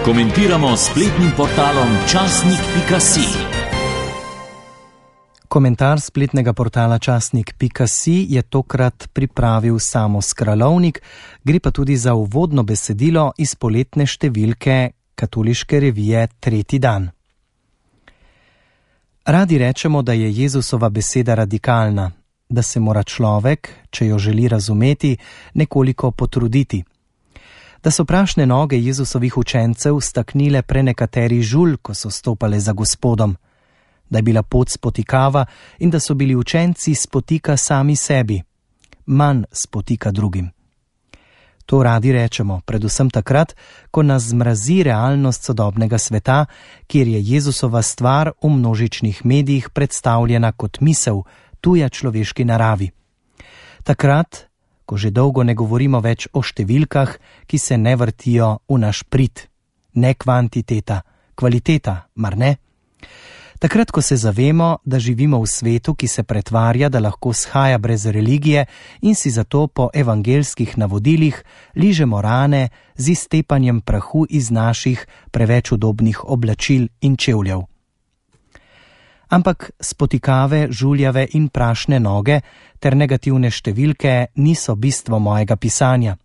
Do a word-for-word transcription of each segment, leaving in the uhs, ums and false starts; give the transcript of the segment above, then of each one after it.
Komentiramo s spletnim portalom časnik pika si. Komentar spletnega portala časnik pika si je tokrat pripravil Samo Skralovnik, gre pa tudi za uvodno besedilo iz poletne številke katoliške revije Tretji dan. Radi rečemo, da je Jezusova beseda radikalna, da se mora človek, če jo želi razumeti, nekoliko potruditi. Da so prašne noge Jezusovih učencev staknile prenekateri žulj, ko so stopale za Gospodom, da je bila pot spotikava in da so bili učenci spotika sami sebi, manj spotika drugim. To radi rečemo, predvsem takrat, ko nas zmrazi realnost sodobnega sveta, kjer je Jezusova stvar v množičnih medijih predstavljena kot misel, tuja človeški naravi. Takrat, ko že dolgo ne govorimo več o številkah, ki se ne vrtijo v naš prid. Ne kvantiteta, kvaliteta, mar ne? Takrat, ko se zavemo, da živimo v svetu, ki se pretvarja, da lahko shaja brez religije in si zato po evangelskih navodilih ližemo rane z iztepanjem prahu iz naših preveč udobnih oblačil in čevljev. Ampak spotikave, žuljave in prašne noge ter negativne številke niso bistvo mojega pisanja.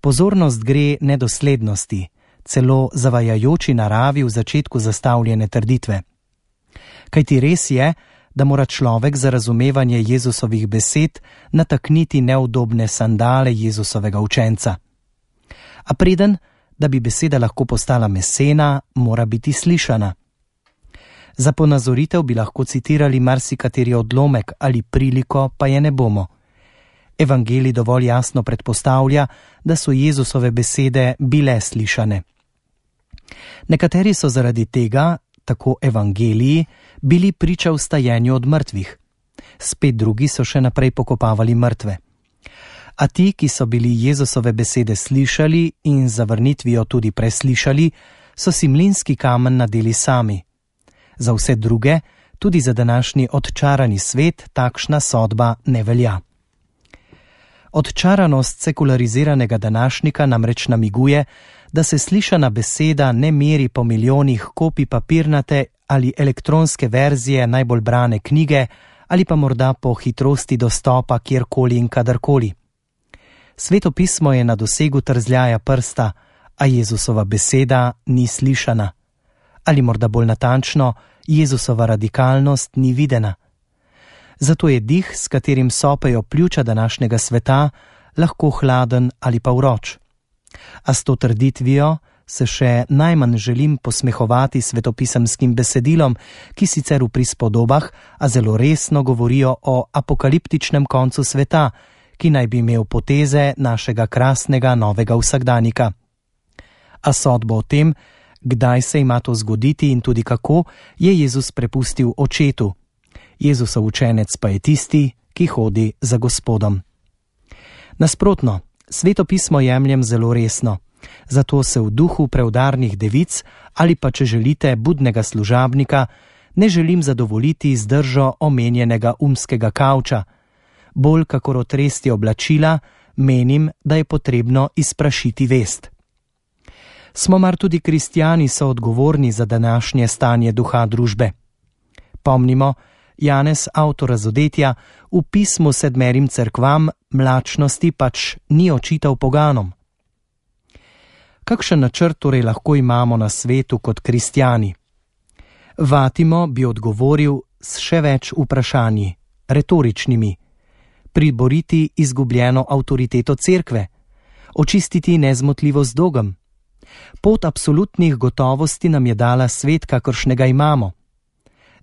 Pozornost gre nedoslednosti, celo zavajajoči naravi v začetku zastavljene trditve. Kajti res je, da mora človek za razumevanje Jezusovih besed natakniti neudobne sandale Jezusovega učenca. A preden, da bi beseda lahko postala mesena, mora biti slišana. Za ponazoritev bi lahko citirali marsikateri odlomek ali priliko, pa je ne bomo. Evangelij dovolj jasno predpostavlja, da so Jezusove besede bile slišane. Nekateri so zaradi tega, tako evangeliji, bili priča vstajenju od mrtvih. Spet drugi so še naprej pokopavali mrtve. A ti, ki so bili Jezusove besede slišali in zavrnitvijo tudi preslišali, so si mlinski kamen nadeli sami. Za vse druge, tudi za današnji odčarani svet, takšna sodba ne velja. Odčaranost sekulariziranega današnjika namreč namiguje, da se slišana beseda ne meri po milijonih kopij papirnate ali elektronske verzije najbolj brane knjige ali pa morda po hitrosti dostopa kjerkoli in kadarkoli. Sveto pismo je na dosegu trzljaja prsta, a Jezusova beseda ni slišana. Ali morda bolj natančno, Jezusova radikalnost ni videna. Zato je dih, s katerim sopejo pljuča današnjega sveta, lahko hladen ali pa vroč. A s to trditvijo se še najmanj želim posmehovati svetopisemskim besedilom, ki sicer v prispodobah, a zelo resno govorijo o apokaliptičnem koncu sveta, ki naj bi imel poteze našega krasnega novega vsakdanika. A sodbo o tem, kdaj se ima to zgoditi in tudi kako, je Jezus prepustil očetu. Jezusov učenec pa je tisti, ki hodi za Gospodom. Nasprotno, Sveto pismo jemljem zelo resno, zato se v duhu preudarnih devic ali pa, če želite, budnega služabnika, ne želim zadovoljiti z držo omenjenega umskega kavča. Bolj kakor otresti oblačila, menim, da je potrebno izprašiti vest. Smo mar tudi kristjani so odgovorni za današnje stanje duha družbe. Pomnimo, Janez, avtor Razodetja, v pismu sedmerim cerkvam mlačnosti pač ni očital poganom. Kakšen načrt torej lahko imamo na svetu kot kristjani? Vatimo bi odgovoril s še več vprašanji, retoričnimi. Priboriti izgubljeno avtoriteto cerkve, očistiti nezmotljivost dogem. Pot absolutnih gotovosti nam je dala svet, kakršnega imamo.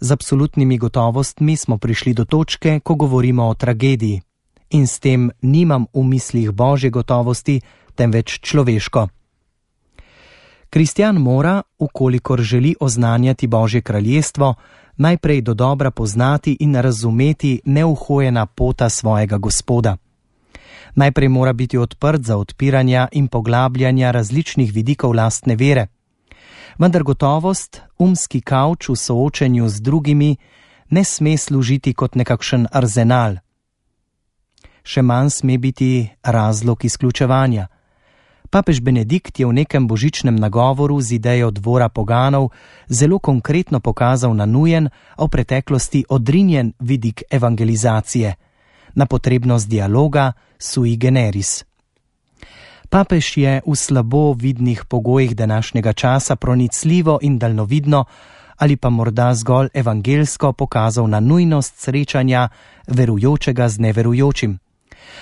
Z absolutnimi gotovostmi smo prišli do točke, ko govorimo o tragediji. In s tem nimam v mislih božje gotovosti, temveč človeško. Kristjan mora, ukolikor želi oznanjati Božje kraljestvo, najprej dodobra poznati in razumeti neuhojena pota svojega Gospoda. Najprej mora biti odprt za odpiranja in poglabljanja različnih vidikov lastne vere. Vendar gotovost, umski kavč v soočenju z drugimi, ne sme služiti kot nekakšen arzenal. Še manj sme biti razlog izključevanja. Papež Benedikt je v nekem božičnem nagovoru z idejo dvora poganov zelo konkretno pokazal na nujen, a v preteklosti odrinjen vidik evangelizacije, na potrebnost dialoga sui generis. Papež je v slabo vidnih pogojih današnjega časa pronicljivo in daljnovidno ali pa morda zgolj evangelsko pokazal na nujnost srečanja verujočega z neverujočim.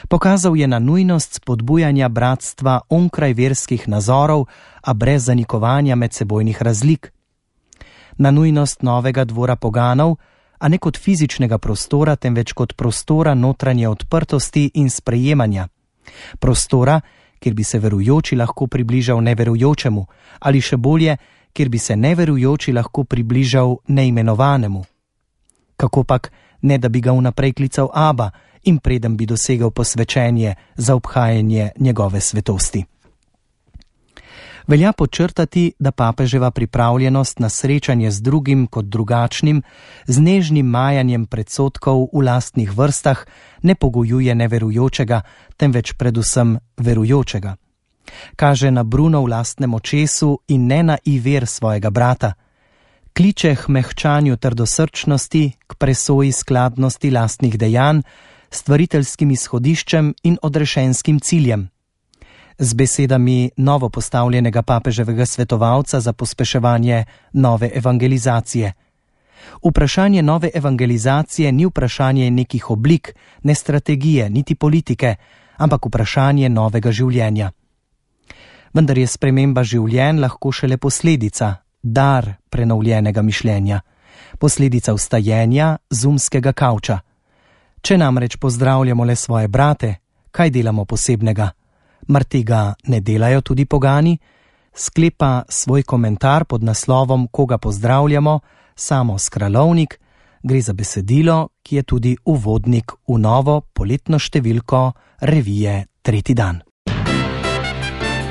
Pokazal je na nujnost spodbujanja bratstva onkraj verskih nazorov, a brez zanikovanja medsebojnih razlik. Na nujnost novega dvora poganov, a ne kot fizičnega prostora, temveč kot prostora notranje odprtosti in sprejemanja. Prostora, kjer bi se verujoči lahko približal neverujočemu, ali še bolje, kjer bi se neverujoči lahko približal neimenovanemu. Kakopak, ne da bi ga vnaprej klical Aba in preden bi dosegel posvečenje za obhajanje njegove svetosti. Velja podčrtati, da papeževa pripravljenost na srečanje z drugim kot drugačnim, z nežnim majanjem predsodkov v lastnih vrstah ne pogojuje neverujočega, temveč predvsem verujočega. Kaže na Bruno v lastnem očesu in ne na iver svojega brata. Kliče k mehčanju trdosrčnosti, k presoji skladnosti lastnih dejanj, stvariteljskim izhodiščem in odrešenskim ciljem. Z besedami novo postavljenega papeževega svetovalca za pospeševanje nove evangelizacije. Vprašanje nove evangelizacije ni vprašanje nekih oblik, ne strategije, niti politike, ampak vprašanje novega življenja. Vendar je sprememba življenj lahko šele posledica, dar prenovljenega mišljenja, posledica vstajenja z umskega kavča. Če namreč pozdravljamo le svoje brate, kaj delamo posebnega? Mar tega ne delajo tudi pogani? Sklepa svoj komentar pod naslovom Koga pozdravljamo, Samo Skralovnik, gre za besedilo, ki je tudi uvodnik v novo poletno številko revije Tretji dan.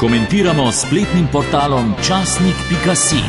Komentiramo s spletnim portalom časnik pika si.